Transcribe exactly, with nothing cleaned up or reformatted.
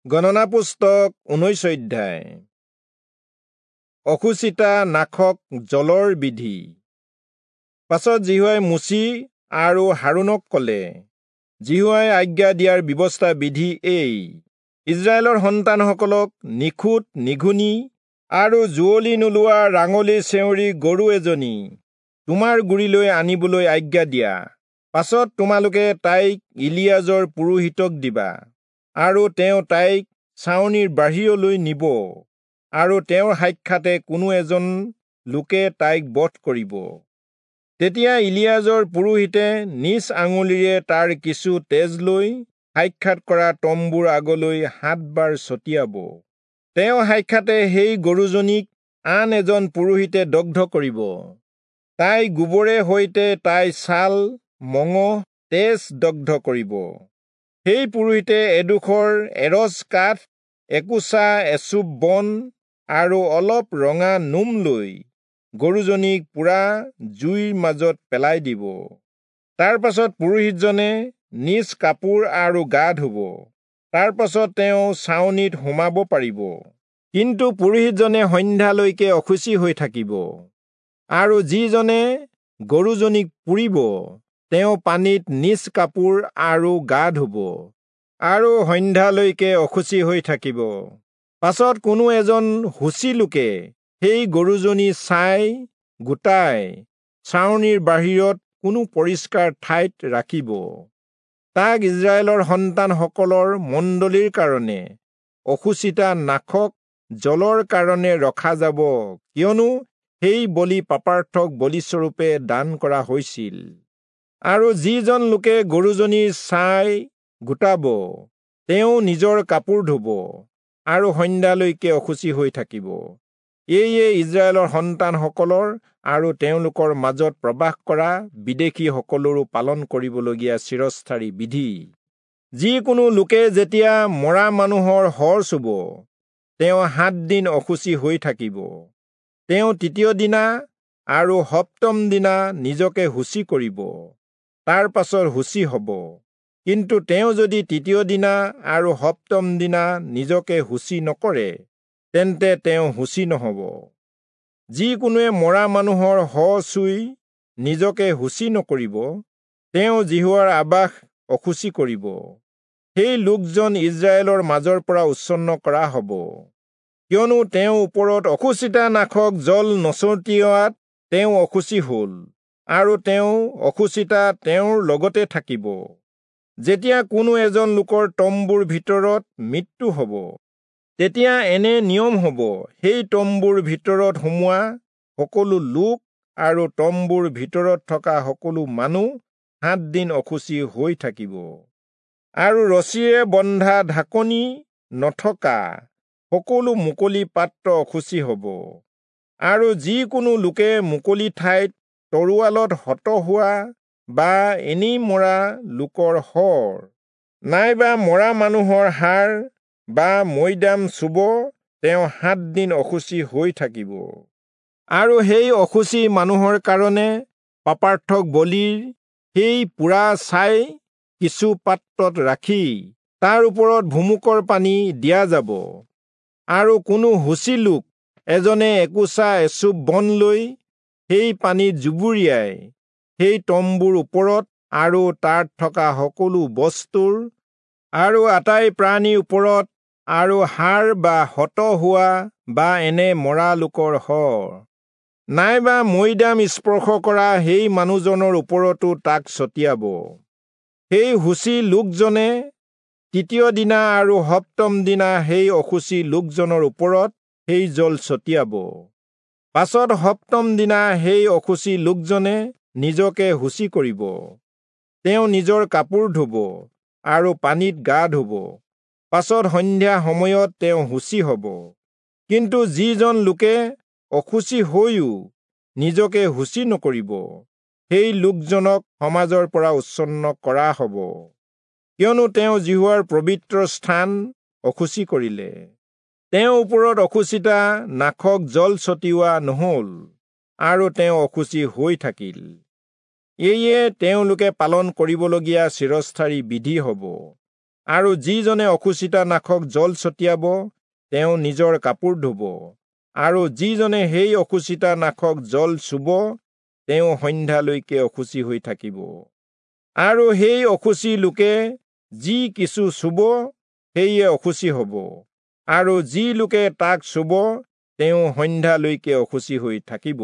গণনা পুস্তক ঊনৈশ অধ্যায়। অশুচিতা নাশক জলৰ বিধি। পাছত যিহোৱাই মোচি আৰু হাৰোণক কলে, যিহোৱাই আজ্ঞা দিয়াৰ ব্যৱস্থা বিধি এই: ইস্ৰায়েলৰ সন্তানসকলক নিখুঁত নিঘূণী আৰু যুঁৱলি নোলোৱা ৰাঙলী চেঁউৰী গৰু এজনী তোমাৰ গুৰিলৈ আনিবলৈ আজ্ঞা দিয়া। পাছত তোমালোকে তাইক ইলিয়াজৰ পুৰোহিতক দিবা, আৰু তেওঁ তাইক ছাউনিৰ বাহিৰলৈ নিব, আৰু তেওঁৰ সাক্ষাতে কোনো এজন লোকে তাইক বধ কৰিব। তেতিয়া ইলিয়াজৰ পুৰোহিতে নিজ আঙুলিৰে তাৰ কিছু তেজ লৈ সাক্ষাৎ কৰা তম্বুৰ আগলৈ সাতবাৰ ছটিয়াব। তেওঁ সাক্ষাতে সেই গৰুজনীক আন এজন পুৰোহিতে দগ্ধ কৰিব। তাই গোবৰে সৈতে তাই ছাল, মঙহ, তেজ দগ্ধ কৰিব। সেই পুৰোহিতে এডোখৰ এৰচ কাঠ, একোচা এচুপ বন আৰু অলপ ৰঙা নোম লৈ গৰুজনীক পোৰা জুইৰ মাজত পেলাই দিব। তাৰ পাছত পুৰোহিতজনে নিজ কাপোৰ আৰু গা ধুব। তাৰ পাছত তেওঁ ছাউনিত সোমাব পাৰিব। কিন্তু পুৰোহিতজনে সন্ধ্যালৈকে অশুচি হৈ থাকিব। আৰু যিজনে গৰুজনীক পুৰিব, তেওঁ পানীত নিজ কাপোৰ আৰু গা ধুব, আৰু সন্ধ্যালৈকে অশুচি হৈ থাকিব। পাছত কোনো এজন শুচি লোকে সেই গৰুজনী ছাই গোটাই ছাউনিৰ বাহিৰত কোনো পৰিষ্কাৰ ঠাইত ৰাখিব। তাক ইস্ৰায়েলৰ সন্তানসকলৰ মণ্ডলীৰ কাৰণে অশুচিতা নাশক জলৰ কাৰণে ৰখা যাব, কিয়নো সেই বলি পাপাৰ্থক বলিস্বৰূপে দান কৰা হৈছিল। আৰু যিজন লোকে গৰুজনীৰ ছাই গোটাব, তেওঁ নিজৰ কাপোৰ ধুব আৰু সন্ধ্যালৈকে অশুচি হৈ থাকিব। এয়ে ইস্ৰায়েলৰ সন্তানসকলৰ আৰু তেওঁলোকৰ মাজত প্ৰবাস কৰা বিদেশীসকলৰো পালন কৰিবলগীয়া চিৰস্থায়ী বিধি। যিকোনো লোকে যেতিয়া মৰা মানুহৰ শৰ চুব, তেওঁ সাতদিন অশুচি হৈ থাকিব। তেওঁ তৃতীয় দিনা আৰু সপ্তম দিনা নিজকে শুচি কৰিব, তাৰ পাছত শুচি হ'ব। কিন্তু তেওঁ যদি তৃতীয় দিনা আৰু সপ্তম দিনা নিজকে শুচি নকৰে, তেন্তে তেওঁ শুচি নহ'ব। যিকোনোৱে মৰা মানুহৰ শ চুই নিজকে শুচি নকৰিব, তেওঁ যিহোৱাৰ আবাস অশুচি কৰিব। সেই লোকজন ইস্ৰায়েলৰ মাজৰ পৰা উচ্ছন্ন কৰা হ'ব, কিয়নো তেওঁৰ ওপৰত অশুচিতা নাশক জল নছটিওৱাত তেওঁ অশুচি হ'ল, আৰু তেওঁ অশুচিতা তেওঁৰ লগতে থাকিব। যেতিয়া কোনো এজন লোকৰ তম্বুৰ ভিতৰত মৃত্যু হ'ব, তেতিয়া এনে নিয়ম হ'ব, সেই তম্বুৰ ভিতৰত সোমোৱা সকলো লোক আৰু তম্বুৰ ভিতৰত থকা সকলো মানুহ সাতদিন অশুচি হৈ থাকিব। আৰু ৰছীৰে বন্ধা ঢাকনি নথকা সকলো মুকলি পাত্ৰ অশুচি হ'ব। আৰু যিকোনো লোকে মুকলি ঠাইত তৰোৱালত হত হোৱা বা এনেই মৰা লোকৰ শৰ নাইবা মৰা মানুহৰ হাড় বা মৈদাম চুব, তেওঁ সাতদিন অশুচি হৈ থাকিব। আৰু সেই অশুচি মানুহৰ কাৰণে পাপাৰ্থক বলিৰ সেই পোৰা ছাই কিছু পাত্ৰত ৰাখি তাৰ ওপৰত ভুমুকৰ পানী দিয়া যাব। আৰু কোনো শুচি লোক এজনে একোচা এচুপ বন লৈ সেই পানীত জুবুৰিয়াই সেই তম্বুৰ ওপৰত আৰু তাত থকা সকলো বস্তুৰ আৰু আটাই প্ৰাণীৰ ওপৰত আৰু হাড় বা হত হোৱা বা এনে মৰা লোকৰ শৰ নাইবা মৈদাম স্পৰ্শ কৰা সেই মানুহজনৰ ওপৰতো তাক ছটিয়াব। সেই শুচি লোকজনে তৃতীয় দিনা আৰু সপ্তম দিনা সেই অশুচি লোকজনৰ ওপৰত সেই জল ছটিয়াব। পাছত সপ্তম দিনা সেই অশুচি লোকজনে নিজকে শুচি কৰিব। তেওঁ নিজৰ কাপোৰ ধুব আৰু পানীত গা ধুব। পাছত সন্ধ্যা সময়ত তেওঁ শুচি হ'ব। কিন্তু যিজন লোকে অশুচি হৈও নিজকে শুচি নকৰিব, সেই লোকজনক সমাজৰ পৰা উচ্ছন্ন কৰা হ'ব, কিয়নো তেওঁ যিহোৱাৰ পবিত্ৰ স্থান অশুচি কৰিলে। তেওঁৰ ওপৰত অশুচিতা নাশক জল ছটিওৱা নহ'ল, আৰু তেওঁ অশুচি হৈ থাকিল। এয়ে তেওঁলোকে পালন কৰিবলগীয়া চিৰস্থায়ী বিধি হ'ব। আৰু যিজনে অশুচিতা নাশক জল ছটিয়াব তেওঁ নিজৰ কাপোৰ ধুব, আৰু যিজনে সেই অশুচিতা নাশক জল চুব তেওঁ সন্ধ্যালৈকে অশুচি হৈ থাকিব। আৰু সেই অশুচি লোকে যি কিছু চুব সেয়ে অশুচি হ'ব, আৰু যি লোকে তাক চুব তেওঁ সন্ধ্যালৈকে অশুচি হৈ থাকিব।